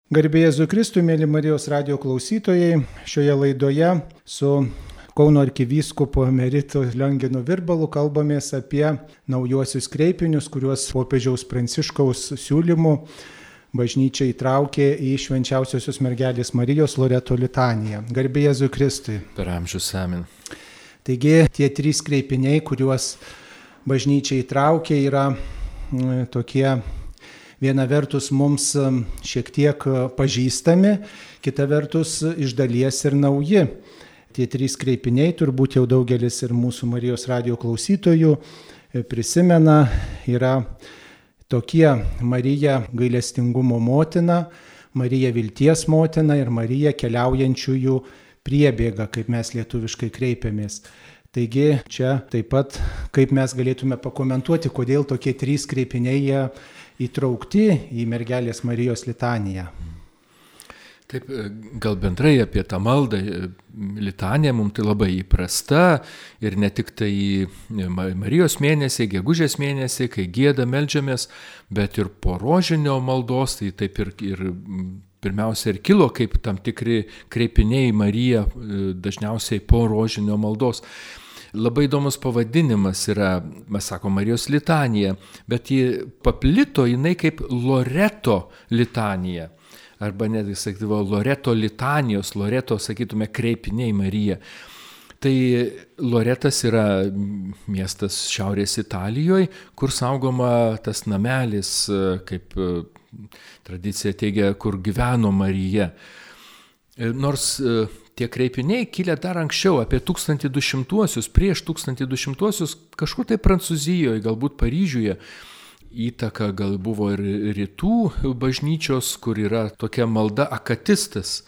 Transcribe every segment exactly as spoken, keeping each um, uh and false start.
Garbė Jėzui Kristui, mėly Marijos radijo klausytojai, šioje laidoje su Kauno arkivyskupu emeritu Lionginu Virbalu kalbamės apie naujuosius kreipinius, kuriuos popiežiaus Pranciškaus siūlymų bažnyčia įtraukė į Švenčiausiosios mergelės Marijos Loreto litaniją. Garbė Jėzui Kristui. Per amžius amen. Taigi tie trys kreipiniai, kuriuos bažnyčia įtraukė, yra m, tokie viena vertus mums šiek tiek pažįstami, kita vertus iš dalies ir nauji. Tie trys kreipiniai turbūt jau daugelis ir mūsų Marijos radijo klausytojų prisimena, yra tokie: Marija gailestingumo motina, Marija vilties motina ir Marija keliaujančiųjų priebėga, kaip mes lietuviškai kreipiamės. Taigi čia taip pat, kaip mes galėtume pakomentuoti, kodėl tokie trys kreipiniai jie įtraukti į mergelės Marijos litaniją. Taip, gal bendrai apie tą maldą, litaniją mums tai labai įprasta ir ne tik tai Marijos mėnesį, gegužės mėnesį, kai gieda, meldžiamės, bet ir po rožinio maldos, tai taip ir, ir pirmiausia ir kilo kaip tam tikri kreipiniai Mariją, dažniausiai po rožinio maldos. Labai įdomus pavadinimas yra, mes sako, Marijos litanija, bet ji paplito jinai kaip Loreto litanija. Arba netgi sakydavo Loreto litanijos, Loreto, sakytume, kreipiniai Marija. Tai Loretas yra miestas Šiaurės Italijoje, kur saugoma tas namelis, kaip tradicija teigia, kur gyveno Marija. Nors tie kreipiniai kilę dar anksčiau, apie tūkstantis du šimtuosius, prieš tūkstantis du šimtuosius, kažkur tai Prancūzijoje, galbūt Paryžiuje, įtaka gal buvo ir rytų bažnyčios, kur yra tokia malda akatistas,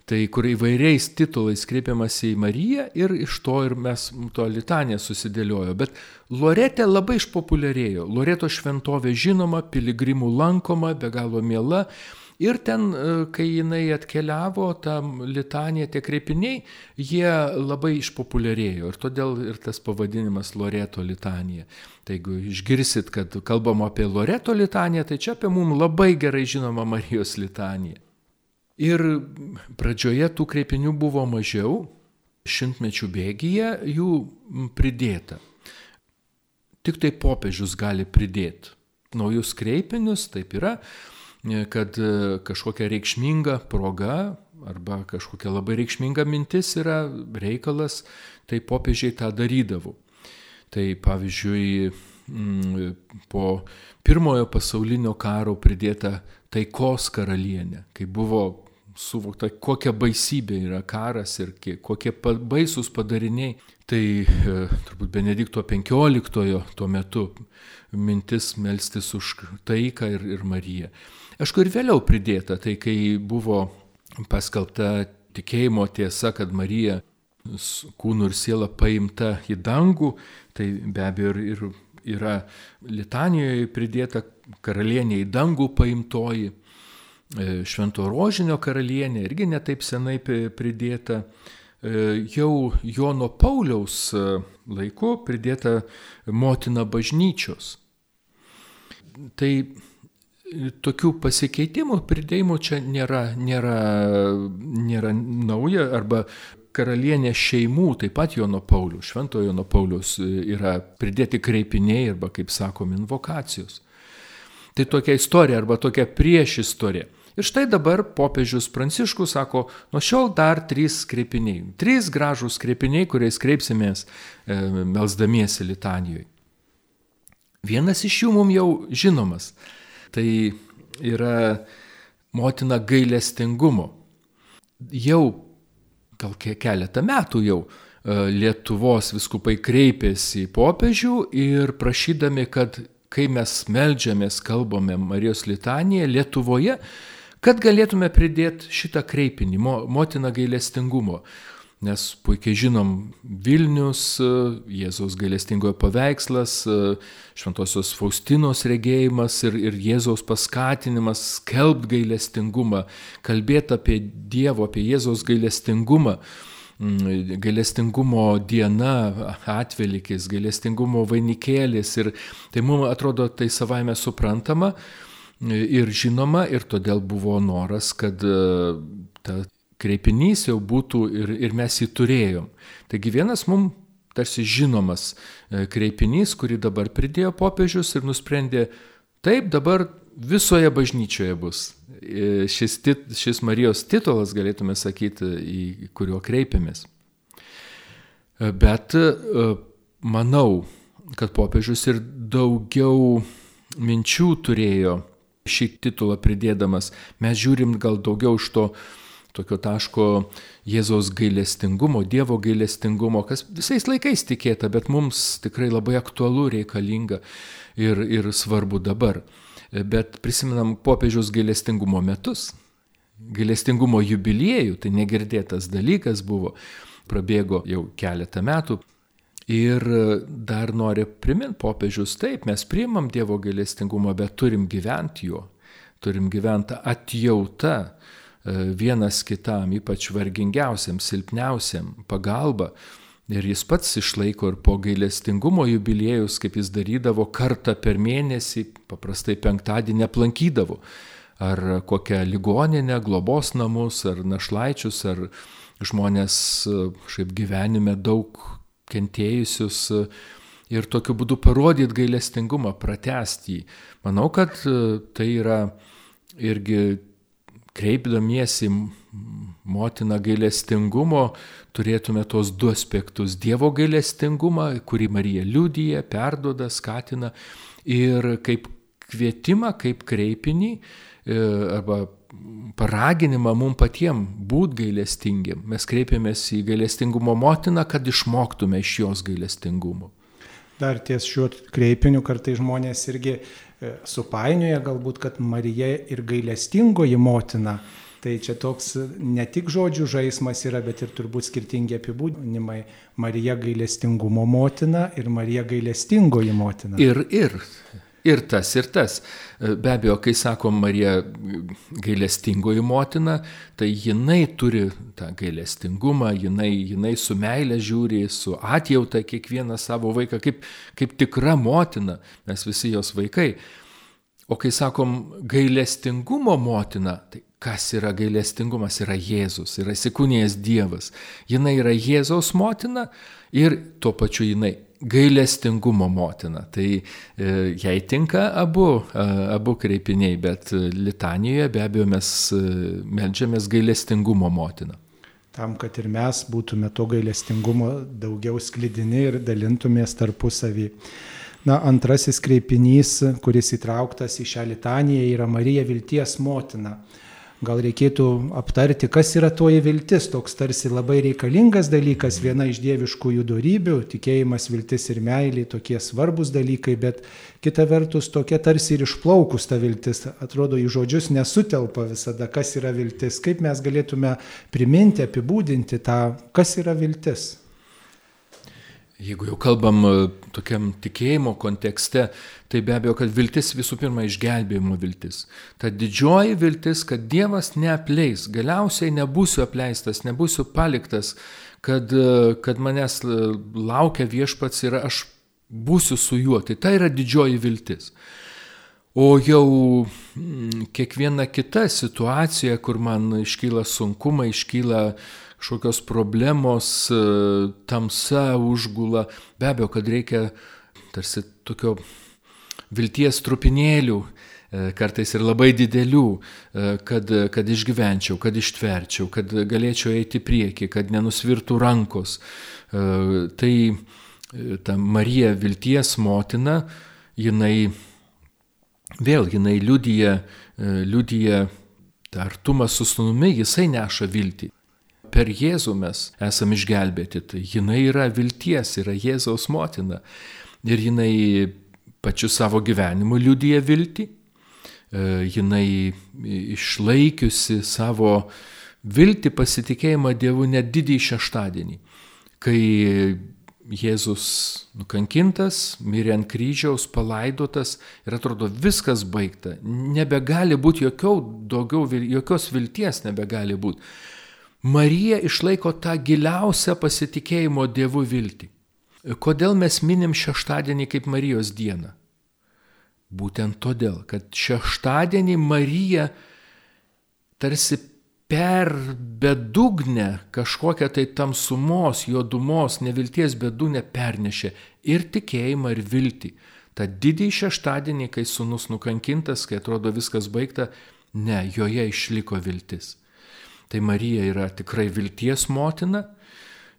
tai kur įvairiais titulais kreipiamas į Mariją ir iš to ir mes to litaniją susidėliojo. Bet Lorete labai išpopuliarėjo. Loreto šventovė žinoma, piligrimų lankoma, be galo miela. Ir ten, kai jinai atkeliavo, ta litanija, tie kreipiniai, jie labai išpopuliarėjo. Ir todėl ir tas pavadinimas Loreto litanija. Tai jeigu išgirsit, kad kalbama apie Loreto litaniją, tai čia apie mums labai gerai žinoma Marijos litanija. Ir pradžioje tų kreipinių buvo mažiau, šimtmečių bėgyje jų pridėta. Tik tai popiežius gali pridėti naujus kreipinius, taip yra, kad kažkokia reikšminga proga arba kažkokia labai reikšminga mintis yra reikalas, tai popiežiai tą darydavo. Tai pavyzdžiui, po pirmojo pasaulinio karo pridėta taikos karalienė, kai buvo suvokta, kokia baisybė yra karas ir kokie baisūs padariniai. Tai turbūt Benedikto penkioliktojo tuo metu mintis melstis už taiką ir, ir Mariją. Aišku, ir vėliau pridėta, tai kai buvo paskelbta tikėjimo tiesa, kad Marija kūnu ir siela paimta į dangų, tai be abejo ir, ir yra litanijoje pridėta karalienė į dangų paimtoji, Švento rožinio karalienė irgi netaip senai pridėta. Jau Jono Pauliaus laiku pridėta motina bažnyčios. Tai tokių pasikeitimų, pridėjimų čia nėra, nėra, nėra nauja, arba karalienė šeimų, taip pat Jono Pauliaus, Šventojo Jono Pauliaus yra pridėti kreipiniai arba, kaip sakom, invokacijos. Tai tokia istorija arba tokia prieš istorija. Ir štai dabar popiežius Pranciškus sako, nuo šiol dar trys kreipiniai. Trys gražūs kreipiniai, kuriais kreipsimės e, melsdamiesi litanijoje. Vienas iš jų mums jau žinomas. Tai yra motina gailestingumo. Jau gal keletą metų jau Lietuvos vyskupai kreipėsi į popiežių ir prašydami, kad kai mes meldžiamės, kalbame Marijos litaniją Lietuvoje, kad galėtume pridėti šitą kreipinį, motina gailestingumo. Nes puikiai žinom Vilnius, Jėzaus gailestingojo paveikslas, Šventosios Faustinos regėjimas ir, ir Jėzaus paskatinimas skelbt gailestingumą, kalbėti apie Dievo, apie Jėzaus gailestingumą. Gailestingumo diena, atvelykis, gailestingumo vainikėlis ir tai mums atrodo tai savaime suprantama, ir žinoma, ir todėl buvo noras, kad ta kreipinys jau būtų ir, ir mes jį turėjom. Taigi vienas mums tarsi žinomas kreipinys, kurį dabar pridėjo popiežius ir nusprendė, taip dabar visoje bažnyčioje bus. Šis, tit, šis Marijos titulas, galėtume sakyti, į kuriuo kreipiamės. Bet manau, kad popiežius ir daugiau minčių turėjo šį titulą pridėdamas. Mes žiūrim gal daugiau iš to tokio taško Jėzaus gailestingumo, Dievo gailestingumo, kas visais laikais tikėta, bet mums tikrai labai aktualu, reikalinga ir, ir svarbu dabar. Bet prisimenam popiežiaus gailestingumo metus, gailestingumo jubiliejų, tai negirdėtas dalykas buvo, prabėgo jau keletą metų. Ir dar nori priminti popiežius, taip, mes priimam Dievo gailestingumą, bet turim gyventi juo, turim gyventi atjauta vienas kitam, ypač vargingiausiam, silpniausiam, pagalba. Ir jis pats išlaiko ir po gailestingumo jubiliejus, kaip jis darydavo kartą per mėnesį, paprastai penktadienį aplankydavo. Ar kokią ligoninę, globos namus, ar našlaičius, ar žmonės šiaip gyvenime daug kentėjusius ir tokiu būdu parodyti gailestingumą, pratęsti jį. Manau, kad tai yra irgi kreipdamiesi motiną gailestingumo, turėtume tos du aspektus. Dievo gailestingumą, kurį Marija liudija, perduoda, skatina, ir kaip kvietimą, kaip kreipinį arba paraginimą mums patiems būti gailestingiam. Mes kreipiamės į gailestingumo motiną, kad išmoktume iš jos gailestingumo. Dar ties šiuo kreipiniu kartai žmonės irgi supainioja galbūt, kad Marija ir gailestingoji motina. Tai čia toks ne tik žodžių žaismas yra, bet ir turbūt skirtingi apibūdinimai. Marija gailestingumo motina ir Marija gailestingoji motina. Ir, ir. Ir tas, ir tas. Be abejo, kai sakom Marija gailestingoji motina, tai jinai turi tą gailestingumą, jinai, jinai su meile žiūri, su atjauta kiekvieną savo vaiką, kaip, kaip tikra motina, mes visi jos vaikai. O kai sakom gailestingumo motina, tai kas yra gailestingumas? Yra Jėzus, yra įsikūnijęs Dievas. Jinai yra Jėzaus motina ir tuo pačiu jinai gailestingumo motina. Tai e, jai tinka abu, a, abu kreipiniai, bet litanijoje be abejo mes meldžiamės gailestingumo motiną. Tam, kad ir mes būtume to gailestingumo daugiau sklidini ir dalintumės tarpusavį. Na, antrasis kreipinys, kuris įtrauktas į šią litaniją, yra Marija vilties motina. Gal reikėtų aptarti, kas yra toji viltis, toks tarsi labai reikalingas dalykas, viena iš dieviškųjų dorybių, tikėjimas, viltis ir meilė, tokie svarbus dalykai, bet kita vertus tokia tarsi ir išplaukus ta viltis, atrodo, į žodžius nesutelpa visada, kas yra viltis, kaip mes galėtume priminti, apibūdinti tą, kas yra viltis. Jeigu jau kalbam tokiam tikėjimo kontekste, tai be abejo, kad viltis visų pirma išgelbėjimo viltis. Ta didžioji viltis, kad Dievas neapleis, galiausiai nebūsiu apleistas, nebūsiu paliktas, kad, kad manęs laukia Viešpats ir aš būsiu su juo. Tai tai yra didžioji viltis. O jau kiekviena kita situacija, kur man iškyla sunkumai, iškyla kažkokios problemos, tamsa užgula, be abejo, kad reikia tarsi tokio vilties trupinėlių, kartais ir labai didelių, kad, kad išgyvenčiau, kad ištverčiau, kad galėčiau eiti į priekį, kad nenusvirtų rankos. Tai ta Marija vilties motina, jinai vėl, jinai liudija, liudija tą artumą su sūnumi, jisai neša viltį. Per Jėzų mes esame išgelbėti, tai jinai yra vilties, yra Jėzaus motina. Ir jinai pačiu savo gyvenimu liudija viltį, jinai išlaikiusi savo viltį, pasitikėjimą Dievu net didįjį šeštadienį, kai Jėzus nukankintas, mirė ant kryžiaus, palaidotas ir atrodo viskas baigta, nebegali būti jokiau, daugiau, jokios vilties nebegali būti. Marija išlaiko tą giliausią pasitikėjimo Dievu viltį. Kodėl mes minim šeštadienį kaip Marijos dieną? Būtent todėl, kad šeštadienį Marija tarsi per bedugnę kažkokią tai tamsumos, juodumos, nevilties bedugnę pernešė ir tikėjimą, ir viltį. Ta didįjį šeštadienį, kai sūnus nukankintas, kai atrodo viskas baigta, ne, joje išliko viltis. Tai Marija yra tikrai vilties motina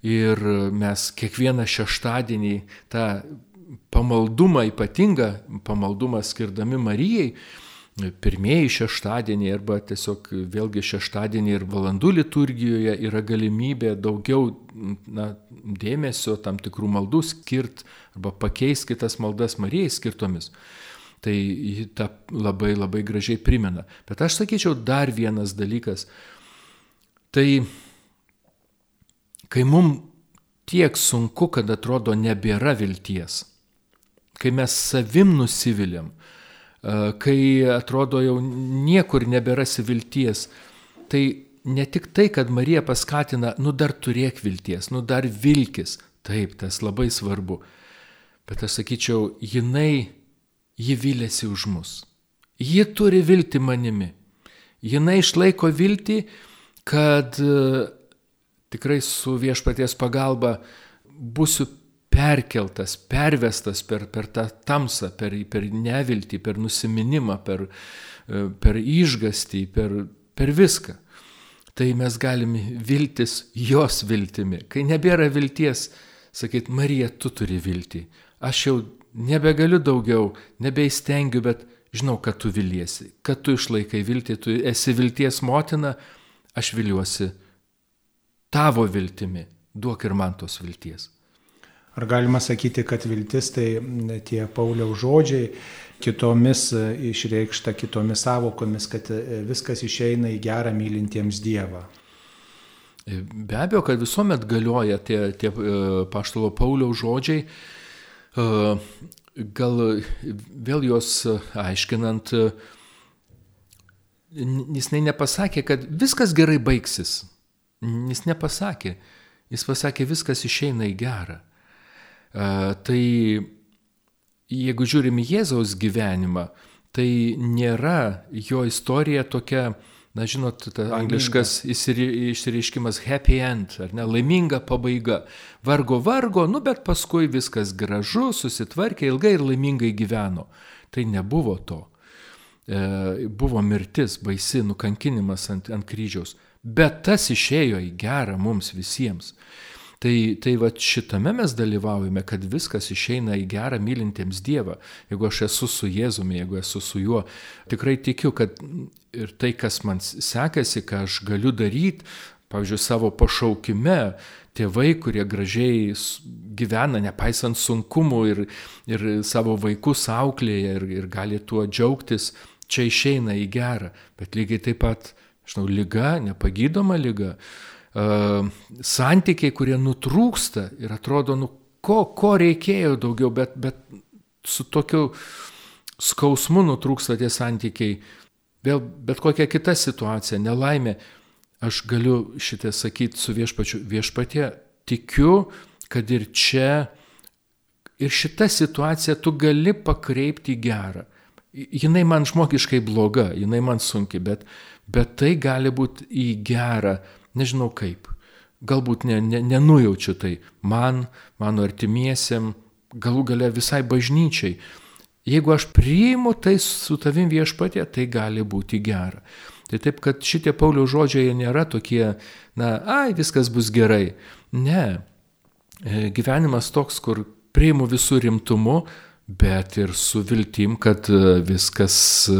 ir mes kiekvieną šeštadienį tą pamaldumą, ypatingą pamaldumą skirdami Marijai, pirmieji šeštadieniai arba tiesiog vėlgi šeštadienį ir valandų liturgijoje yra galimybė daugiau na, dėmesio tam tikrų maldų skirti arba pakeisti kitas maldas Marijai skirtomis. Tai ji tą labai labai gražiai primena. Bet aš sakyčiau dar vienas dalykas. Tai kai mums tiek sunku, kad atrodo nebėra vilties, kai mes savim nusiviliam, kai atrodo jau niekur neberasi vilties, tai ne tik tai, kad Marija paskatina, nu dar turėk vilties, nu dar vilkis, taip, tas labai svarbu, bet aš sakyčiau, jinai, ji vylėsi už mus, ji turi viltį manimi, jinai išlaiko viltį, kad tikrai su Viešpaties pagalba būsiu perkeltas, pervestas per, per tą tamsą, per, per neviltį, per nusiminimą, per, per išgastį, per, per viską. Tai mes galime viltis jos viltimi. Kai nebėra vilties, sakyt, Marija, tu turi viltį. Aš jau nebegaliu daugiau, nebeįstengiu, bet žinau, kad tu viliesi, kad tu išlaikai viltį, tu esi vilties motina, aš viliuosi tavo viltimi, duok ir man tos vilties. Ar galima sakyti, kad viltis tai tie Pauliaus žodžiai, kitomis išreikšta, kitomis savokomis, kad viskas išeina į gerą mylintiems Dievą? Be abejo, kad visuomet galioja tie, tie apaštalo Pauliaus žodžiai, gal vėl juos aiškinant, jis nepasakė, kad viskas gerai baigsis. Jis nepasakė, jis pasakė, viskas išeina į gerą. Uh, tai jeigu žiūrim į Jėzaus gyvenimą, tai nėra jo istorija tokia, na žinot, ta angliškas išsireiškimas happy end, ar ne, laiminga pabaiga. Vargo, vargo, nu bet paskui viskas gražu, susitvarkė, ilgai ir laimingai gyveno. Tai nebuvo to. E, buvo mirtis, baisi, nukankinimas ant, ant kryžiaus. Bet tas išėjo į gerą mums visiems. Tai, tai va šitame mes dalyvaujame, kad viskas išeina į gerą mylintiems Dievą. Jeigu aš esu su Jėzumi, jeigu esu su juo, tikrai tikiu, kad ir tai, kas man sekasi, ką aš galiu daryti, pavyzdžiui, savo pašaukime, tėvai, kurie gražiai gyvena, nepaisant sunkumų ir, ir savo vaikus auklėja ir, ir gali tuo džiaugtis, čia išeina į gerą. Bet lygiai taip pat, žinau, liga, nepagydoma liga, Uh, santykiai, kurie nutrūksta ir atrodo, nu, ko, ko reikėjo daugiau, bet, bet su tokiu skausmu nutrūksta tie santykiai. Vėl bet kokia kita situacija, nelaimė, aš galiu šitą sakyti su viešpačiu, viešpatie, tikiu, kad ir čia, ir šitą situaciją tu gali pakreipti į gerą. Jinai man žmogiškai bloga, jinai man sunki, bet, bet tai gali būti į gerą. Nežinau kaip, galbūt ne, ne, nenujaučiu tai man, mano artimiesiem, galų gale visai bažnyčiai. Jeigu aš priimu tai su tavim Viešpatie, tai gali būti gera. Tai taip, kad šitie Pauliaus žodžiai nėra tokie, na, ai, viskas bus gerai. Ne, gyvenimas toks, kur priimu visų rimtumu, bet ir su viltim, kad viskas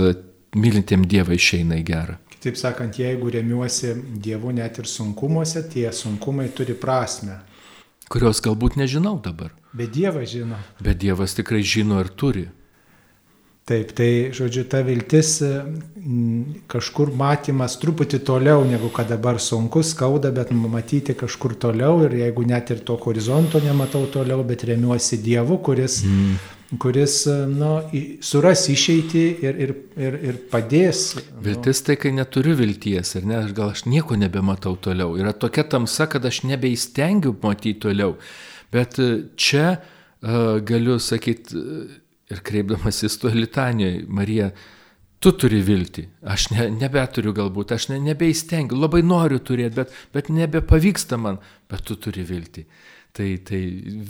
mylintiem Dievą išeina į gerą. Taip sakant, jeigu remiuosi Dievu net ir sunkumuose, tie sunkumai turi prasmę. Kurios galbūt nežinau dabar. Bet Dievas žino. Bet Dievas tikrai žino ir turi. Taip, tai, žodžiu, ta viltis kažkur matymas truputį toliau, negu kad dabar sunku, skauda, bet matyti kažkur toliau ir jeigu net ir to horizonto nematau toliau, bet remiuosi Dievu, kuris... Mm. kuris nu, suras išeitį ir, ir, ir, ir padės. Viltis tai, kai neturiu vilties, ir ne, gal aš nieko nebematau toliau. Yra tokia tamsa, kad aš nebeįstengiu matyti toliau. Bet čia uh, galiu sakyti, Ir kreipdamasis tuo litanijoje, Marija, tu turi viltį, aš ne, nebeturiu galbūt, aš ne, nebeįstengiu, labai noriu turėti, bet, bet nebepavyksta man, bet tu turi viltį. Tai, tai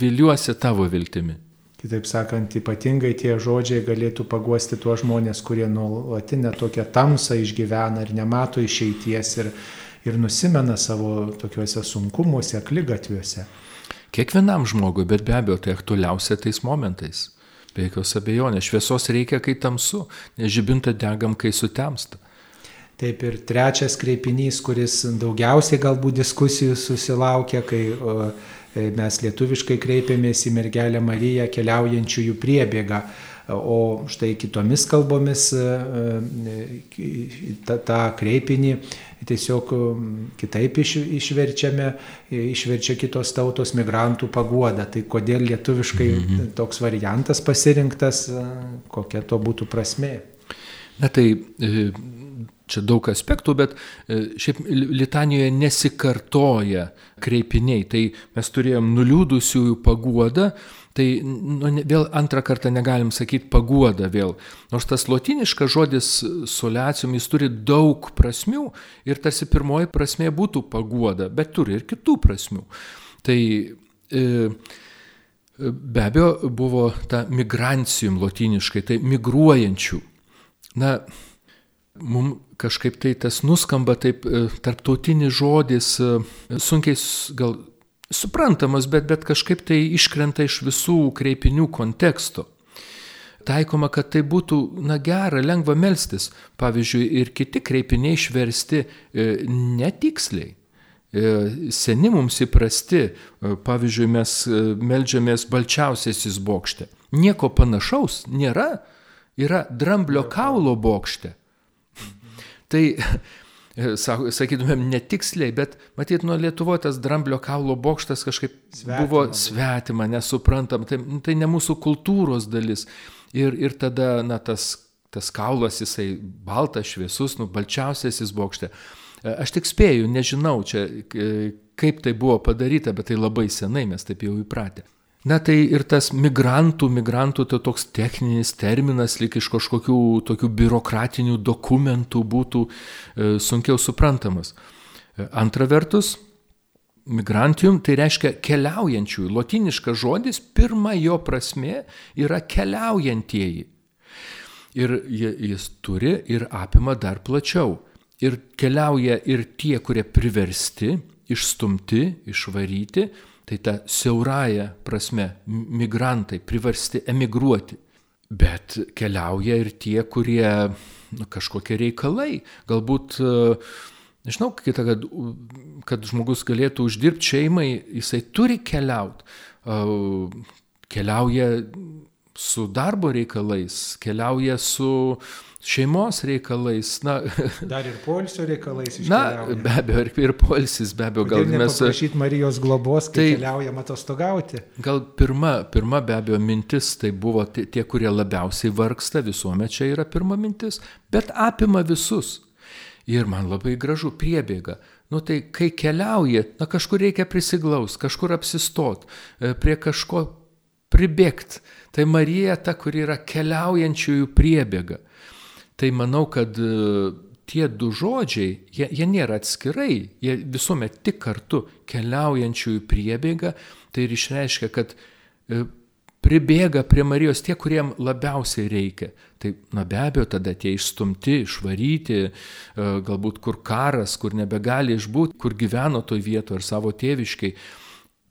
viliuosi tavo viltimi. Kitaip sakant, ypatingai tie žodžiai galėtų paguosti tuos žmonės, kurie nuolatinę tokią tamsą išgyvena ir nemato išeities ir, ir nusimena savo tokiuose sunkumuose, akligatviuose. Kiekvienam žmogui, bet be abejo, tai aktualiausia tais momentais. Be jokios abejonės, šviesos reikia, kai tamsu, nes žibintą degam, kai sutemsta. Taip, ir trečias kreipinys, kuris daugiausiai galbūt diskusijų susilaukia, kai o, mes lietuviškai kreipiamės į mergelę Mariją keliaujančiųjų priebėgą, o štai kitomis kalbomis tą, tą kreipinį tiesiog kitaip iš, išverčiame, išverčia kitos tautos migrantų paguoda. Tai kodėl lietuviškai mm-hmm. toks variantas pasirinktas, kokia to būtų prasmė? Na tai čia daug aspektų, bet šiaip litanijoje nesikartoja kreipiniai. Tai mes turėjom nuliūdusiųjų paguodą, tai nu, vėl antrą kartą negalim sakyti paguoda vėl. Nors tas lotyniškas žodis soleacium, jis turi daug prasmių ir tarsi pirmoji prasmė būtų paguoda, bet turi ir kitų prasmių. Tai e, be abejo buvo ta migrancium lotyniškai, tai migruojančių. Na, mums kažkaip tai tas nuskamba taip tarptautinis žodis, sunkiai gal suprantamas, bet, bet kažkaip tai iškrenta iš visų kreipinių konteksto. Taikoma, kad tai būtų, na, gera, lengva melstis. Pavyzdžiui, ir kiti kreipiniai išversti e, netiksliai. E, seni mums įprasti, e, pavyzdžiui, mes meldžiamės balčiausiasis bokšte. Nieko panašaus nėra, yra dramblio kaulo bokšte. Tai sakytumėm netiksliai, bet matyt, nuo Lietuvoje tas dramblio kaulo bokštas kažkaip svetima, buvo svetima, nesuprantam, tai, tai ne mūsų kultūros dalis. Ir, ir tada, na, tas, tas kaulas, jisai baltas, šviesus, nu, balčiausiasis bokšte. Aš tik spėju, nežinau čia, kaip tai buvo padaryta, bet tai labai senai mes taip jau įpratę. Na tai ir tas migrantų, migrantų tai toks techninis terminas, lyg iš kažkokių tokių biurokratinių dokumentų būtų e, sunkiau suprantamas. E, antra vertus, migrantium tai reiškia keliaujančiųjų. Lotyniškas žodis, pirma jo prasmė yra keliaujantieji. Ir jis turi ir apima dar plačiau. Ir keliauja ir tie, kurie priversti, išstumti, išvaryti, tai ta siaurąja prasme migrantai priversti emigruoti. Bet keliauja ir tie, kurie nu, kažkokie reikalai. Galbūt, nežinau, kita, kad, kad žmogus galėtų uždirbti šeimai, jisai turi keliauti. Keliauja su darbo reikalais, keliauja su šeimos reikalais. Na, dar ir poilsio reikalais Na, iškeliauja. be abejo, ir, ir poilsis, be abejo. Kodėl gal mes nepaprašyti Marijos globos, kai tai, keliaujam atostogauti? Gal pirma, pirma be abejo mintis, tai buvo tie, tie, kurie labiausiai vargsta, visuomet čia yra pirma mintis, bet apima visus. Ir man labai gražu priebėga. Nu tai kai keliauja, na kažkur reikia prisiglaus, kažkur apsistot, prie kažko pribėgti. Tai Marija ta, kuri yra keliaujančiųjų priebėga. Tai manau, kad tie du žodžiai, jie, jie nėra atskirai, jie visuomet tik kartu keliaujančiųjų priebėga, tai ir išreiškia, kad pribėga prie Marijos tie, kuriem labiausiai reikia. Tai na be abejo, tada tie išstumti, išvaryti, galbūt kur karas, kur nebegali išbūti, kur gyveno toj vietoje ar savo tėviškai,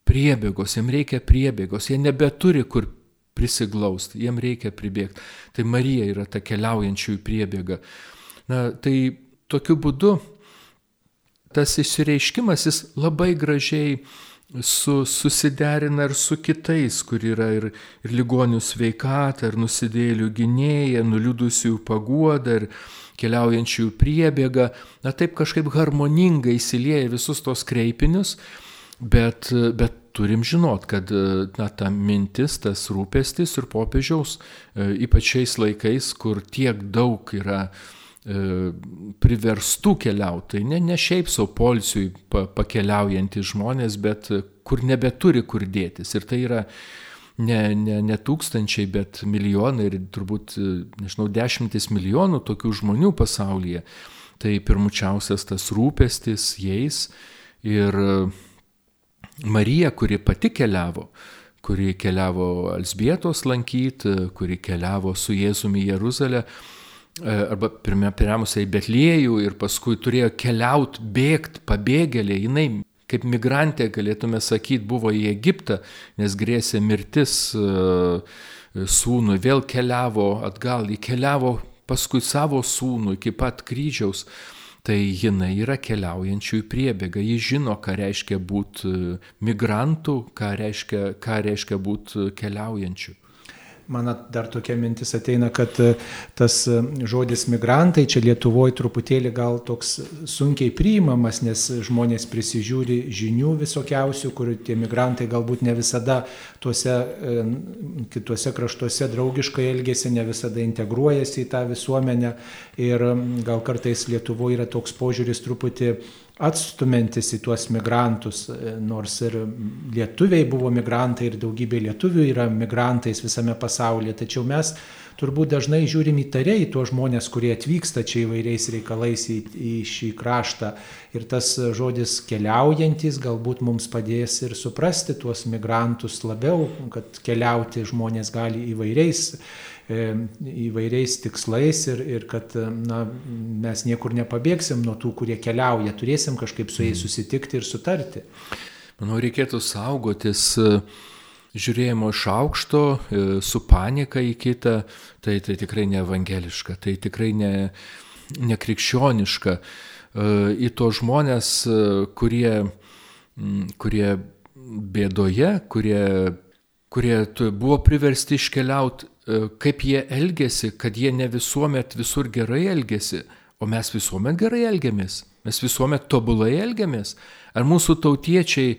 priebėgos, jiems reikia priebėgos, jie nebeturi kur prisiglausti, jiems reikia pribėgti. Tai Marija yra ta keliaujančiųjų priebėga. Na, tai tokiu būdu tas išsireiškimas jis labai gražiai su, susiderina ir su kitais, kur yra ir, ir ligonių sveikata, ir nusidėjėlių gynėja, nuliūdusiųjų paguoda, ir keliaujančiųjų priebėga. Na, taip kažkaip harmoningai įsilieja visus tos kreipinius, bet, bet turim žinot, kad na, ta mintis, tas rūpestis ir popiežiaus, ypač šiais laikais, kur tiek daug yra e, priverstų keliauti, tai ne, ne šiaip savo poilsiui pa, pakeliaujantys žmonės, bet kur nebeturi kur dėtis. Ir tai yra ne, ne, ne tūkstančiai, bet milijonai ir turbūt, nežinau, dešimtis milijonų tokių žmonių pasaulyje. Tai pirmučiausias tas rūpestis jais ir Marija, kuri pati keliavo, kuri keliavo Elzbietos lankyti, kuri keliavo su Jėzumi į Jeruzalę, arba pirmiausia į Betliejų ir paskui turėjo keliauti, bėgti, pabėgėlė, jinai kaip migrantė, galėtume sakyti, buvo į Egiptą, nes grėsė mirtis sūnui, vėl keliavo atgal, įkeliavo paskui savo sūnų iki pat kryžiaus, tai jinai yra keliaujančių į priebėgą. Ji žino, ką reiškia būti migrantų, ką reiškia, ką reiškia būti keliaujančių. Man dar tokia mintis ateina, kad tas žodis migrantai čia Lietuvoje truputėlį gal toks sunkiai priimamas, nes žmonės prisižiūri žinių visokiausių, kur tie migrantai galbūt ne visada tuose kituose kraštuose draugiškai elgėsi, ne visada integruojasi į tą visuomenę ir gal kartais Lietuvoje yra toks požiūris truputį atstumiantis į tuos migrantus, nors ir lietuviai buvo migrantai ir daugybė lietuvių yra migrantais visame pasaulyje, tačiau mes turbūt dažnai žiūrim įtariai į tuos žmonės, kurie atvyksta čia įvairiais reikalais į, į šį kraštą ir tas žodis keliaujantis galbūt mums padės ir suprasti tuos migrantus labiau, kad keliauti žmonės gali įvairiais įvairiais tikslais ir, ir kad na, mes niekur nepabėgsim nuo tų, kurie keliauja, turėsim kažkaip su jais susitikti ir sutarti. Manau, reikėtų saugotis žiūrėjimo iš aukšto, su panika į kitą, tai, tai tikrai ne evangeliška, tai tikrai ne, ne krikščioniška. Į tos žmonės, kurie, kurie bėdoje, kurie, kurie buvo priversti iškeliauti, kaip jie elgėsi, kad jie ne visuomet visur gerai elgėsi, o mes visuomet gerai elgiamės, mes visuomet tobulai elgiamės. Ar mūsų tautiečiai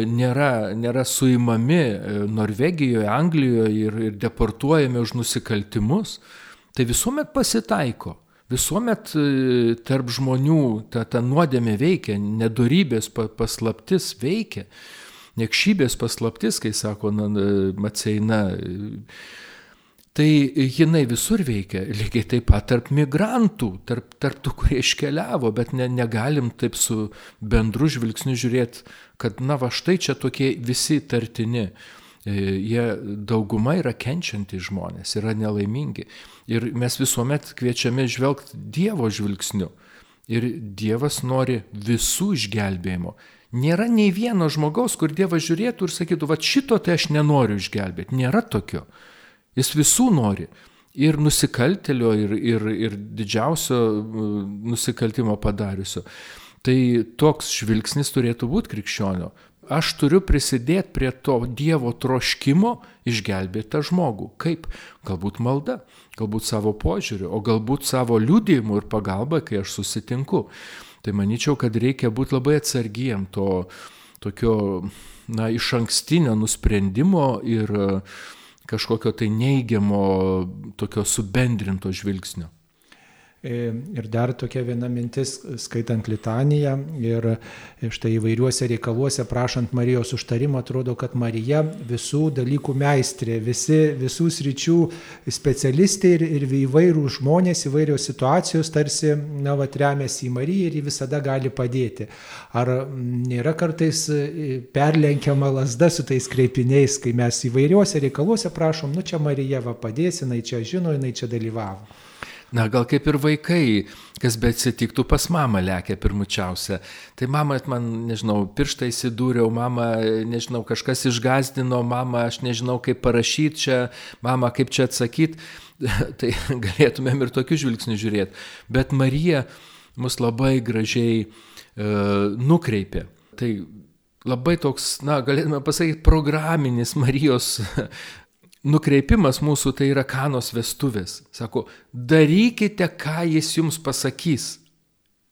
nėra, nėra suimami Norvegijoje, Anglijoje ir, ir deportuojami už nusikaltimus? Tai visuomet pasitaiko, visuomet tarp žmonių ta, ta nuodėmė veikia, nedorybės paslaptis veikia, niekšybės paslaptis, kai sako Maceina. Tai jinai visur veikia, lygiai taip pat tarp migrantų, tarp, tarp tų, kurie iškeliavo, bet ne, negalim taip su bendru žvilgsniu žiūrėti, kad na va štai čia tokie visi tartini. Jie dauguma yra kenčiantys žmonės, yra nelaimingi. Ir mes visuomet kviečiame žvelgti Dievo žvilgsniu. Ir Dievas nori visų išgelbėjimo. Nėra nei vieno žmogaus, kur Dievas žiūrėtų ir sakytų, va šito tai aš nenoriu išgelbėti. Nėra tokio. Jis visų nori, ir nusikaltėlio, ir, ir, ir didžiausio nusikaltimo padariusio. Tai toks žvilgsnis turėtų būti krikščionio. Aš turiu prisidėti prie to Dievo troškimo išgelbėti tą žmogų. Kaip? Galbūt malda, galbūt savo požiūriu, o galbūt savo liudijimu ir pagalba, kai aš susitinku. Tai manyčiau, kad reikia būti labai atsargiem to tokio na, iš ankstinio nusprendimo ir kažkokio tai neigiamo, tokio subendrinto žvilgsnio. Ir dar tokia viena mintis, skaitant litaniją ir štai įvairiuose reikaluose prašant Marijos užtarimo, atrodo, kad Marija visų dalykų meistrė, visi, visų sričių specialistė ir, ir įvairių žmonės, įvairios situacijos tarsi na, vat, remiasi į Mariją ir ji visada gali padėti. Ar nėra kartais perlenkiama lazda su tais kreipiniais, kai mes įvairiuose reikaluose prašom, nu čia Marija va padės, jinai čia žino, jinai čia dalyvavo. Na, gal kaip ir vaikai, kas bet atsitiktų pas mamą lekia pirmučiausia. Tai mama, man, nežinau, pirštą įsidūriau, mama, nežinau, kažkas išgazdino, mama, aš nežinau, kaip parašyti čia, mama, kaip čia atsakyti. Tai galėtumėm ir tokiu žvilgsniu žiūrėti. Bet Marija mus labai gražiai e, nukreipė. Tai labai toks, na, galėtume pasakyti, programinis Marijos nukreipimas mūsų, tai yra Kanos vestuvės. Sako, darykite, ką jis jums pasakys.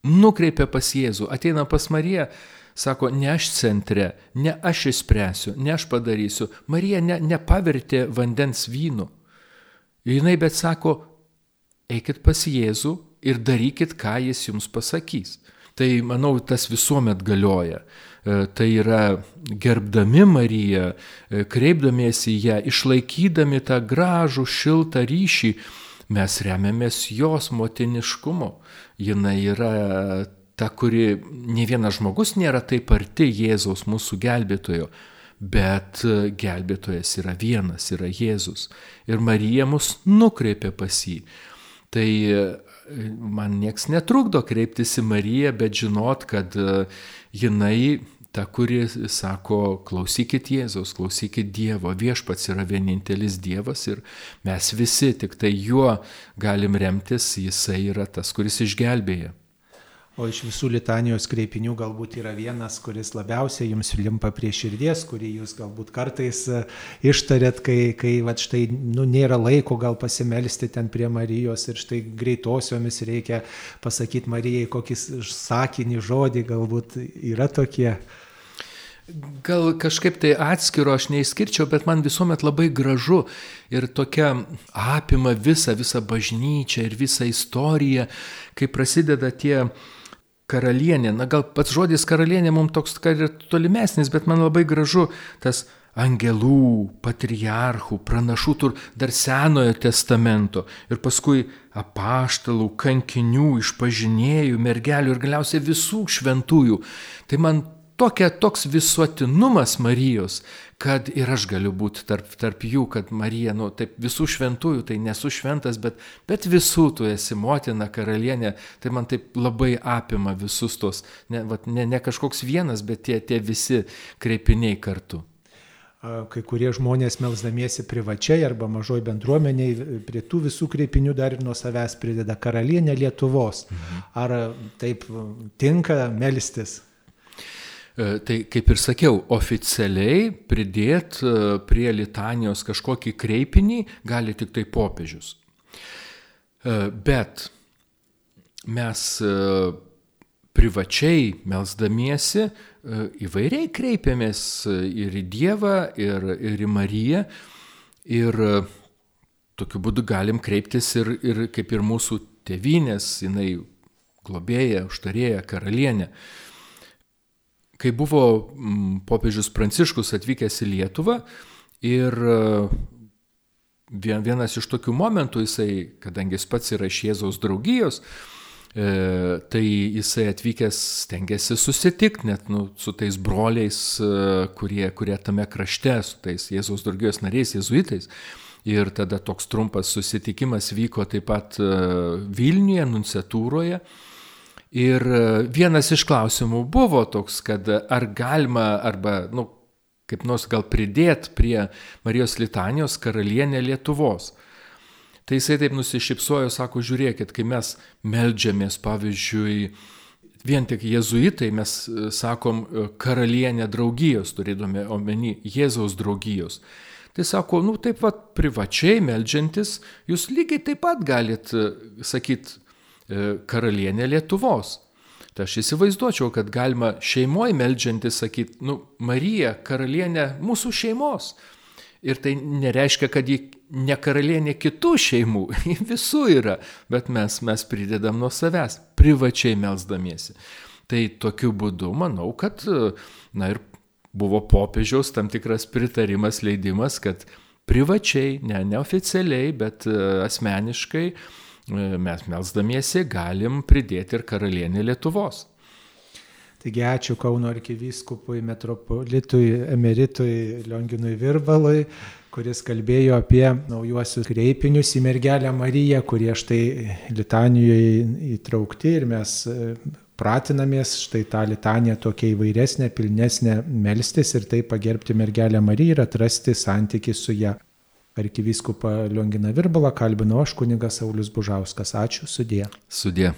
Nukreipia pas Jėzų, ateina pas Mariją, sako, ne aš centre, ne aš išspręsiu, ne aš padarysiu. Marija ne, nepavertė vandens vynu. Jinai bet sako, eikit pas Jėzų ir darykit, ką jis jums pasakys. Tai, manau, tas visuomet galioja. Tai yra gerbdami Mariją, kreipdamiesi į ją, išlaikydami tą gražų, šiltą ryšį, mes remiamės jos motiniškumu. Jinai yra ta, kuri ne vienas žmogus nėra taip arti Jėzaus, mūsų gelbėtojo, bet gelbėtojas yra vienas, yra Jėzus. Ir Marija mus nukreipia pas jį. Tai man nieks netrukdo kreiptis į Mariją, bet žinot, kad jinai ta, kuri sako, klausykit Jėzaus, klausykit Dievo, viešpats yra vienintelis Dievas ir mes visi tik tai juo galim remtis, jisai yra tas, kuris išgelbėja. O iš visų litanijos kreipinių galbūt yra vienas, kuris labiausiai jums limpa prie širdies, kurį jūs galbūt kartais ištarėt, kai, kai va, štai nu, nėra laiko gal pasimelsti ten prie Marijos ir štai greitosiomis reikia pasakyti Marijai kokį sakinį, žodį, galbūt yra tokie. Gal kažkaip tai atskiro aš neišskirčiau, bet man visuomet labai gražu ir tokia apima visą, visą bažnyčią ir visą istoriją, kai prasideda tie karalienė. Na gal pats žodis karalienė mums toks ir tolimesnis, bet man labai gražu tas angelų, patriarchų, pranašų, tur dar Senojo testamento ir paskui apaštalų, kankinių, išpažinėjų, mergelių ir galiausiai visų šventųjų. Tai man Tokia, toks visuotinumas Marijos, kad ir aš galiu būti tarp, tarp jų, kad Marija, nu, taip visų šventųjų, tai nesu šventas, bet, bet visų tu esi motina, karalienė, tai man taip labai apima visus tos, ne, vat, ne, ne kažkoks vienas, bet tie, tie visi kreipiniai kartu. Kai kurie žmonės melsdamiesi privačiai arba mažoj bendruomeniai prie tų visų kreipinių dar ir nuo savęs prideda karalienė Lietuvos. Mhm. Ar taip tinka melstis? Tai kaip ir sakiau, oficialiai pridėti prie litanijos kažkokį kreipinį gali tik tai popiežius. Bet mes privačiai melsdamiesi įvairiai kreipiamės ir į Dievą, ir, ir į Mariją. Ir tokiu būdu galim kreiptis ir, ir kaip ir mūsų tėvynės, jinai globėja, užtarėja, karalienė. Kai buvo popiežius Pranciškus atvykęs į Lietuvą ir vienas iš tokių momentų, jisai, kadangi jis pats yra iš Jėzaus draugijos, tai jisai atvykęs stengiasi susitikti net nu, su tais broliais, kurie, kurie tame krašte, su tais Jėzaus draugijos nariais, jėzuitais. Ir tada toks trumpas susitikimas vyko taip pat Vilniuje, nunciatūroje. Ir vienas iš klausimų buvo toks, kad ar galima, arba, nu, kaip nors gal pridėti prie Marijos litanijos karalienę Lietuvos. Tai jisai taip nusišypsojo, sako, žiūrėkit, kai mes meldžiamės, pavyzdžiui, vien tik jėzuitai, mes sakom karalienę draugijos, turėdami omeny Jėzaus draugijos. Tai sako, nu taip pat privačiai meldžiantis, jūs lygiai taip pat galit sakyti, karalienė Lietuvos. Tai aš įsivaizduočiau, kad galima šeimoje meldžiantis sakyti, nu, Marija, karalienė mūsų šeimos. Ir tai nereiškia, kad ji ne karalienė kitų šeimų, visų yra, bet mes, mes pridedam nuo savęs, privačiai melsdamiesi. Tai tokiu būdu manau, kad, na ir buvo popiežiaus tam tikras pritarimas, leidimas, kad privačiai, ne neoficialiai, bet asmeniškai mes melsdamiesi galim pridėti ir karalienę Lietuvos. Taigi ačiū Kauno arkivyskupui, metropolitui, emeritui Lionginui Virbalui, kuris kalbėjo apie naujuosius kreipinius į mergelę Mariją, kurie štai litanijoje įtraukti ir mes pratinamės štai tą litaniją tokia įvairesnė, pilnesnė melstis ir taip pagerbti mergelę Mariją ir atrasti santykį su ją. Arkivyskupą Lionginą Virbalą kalbino aš, kunigas Saulius Bužauskas. Ačiū, sudie. Sudie.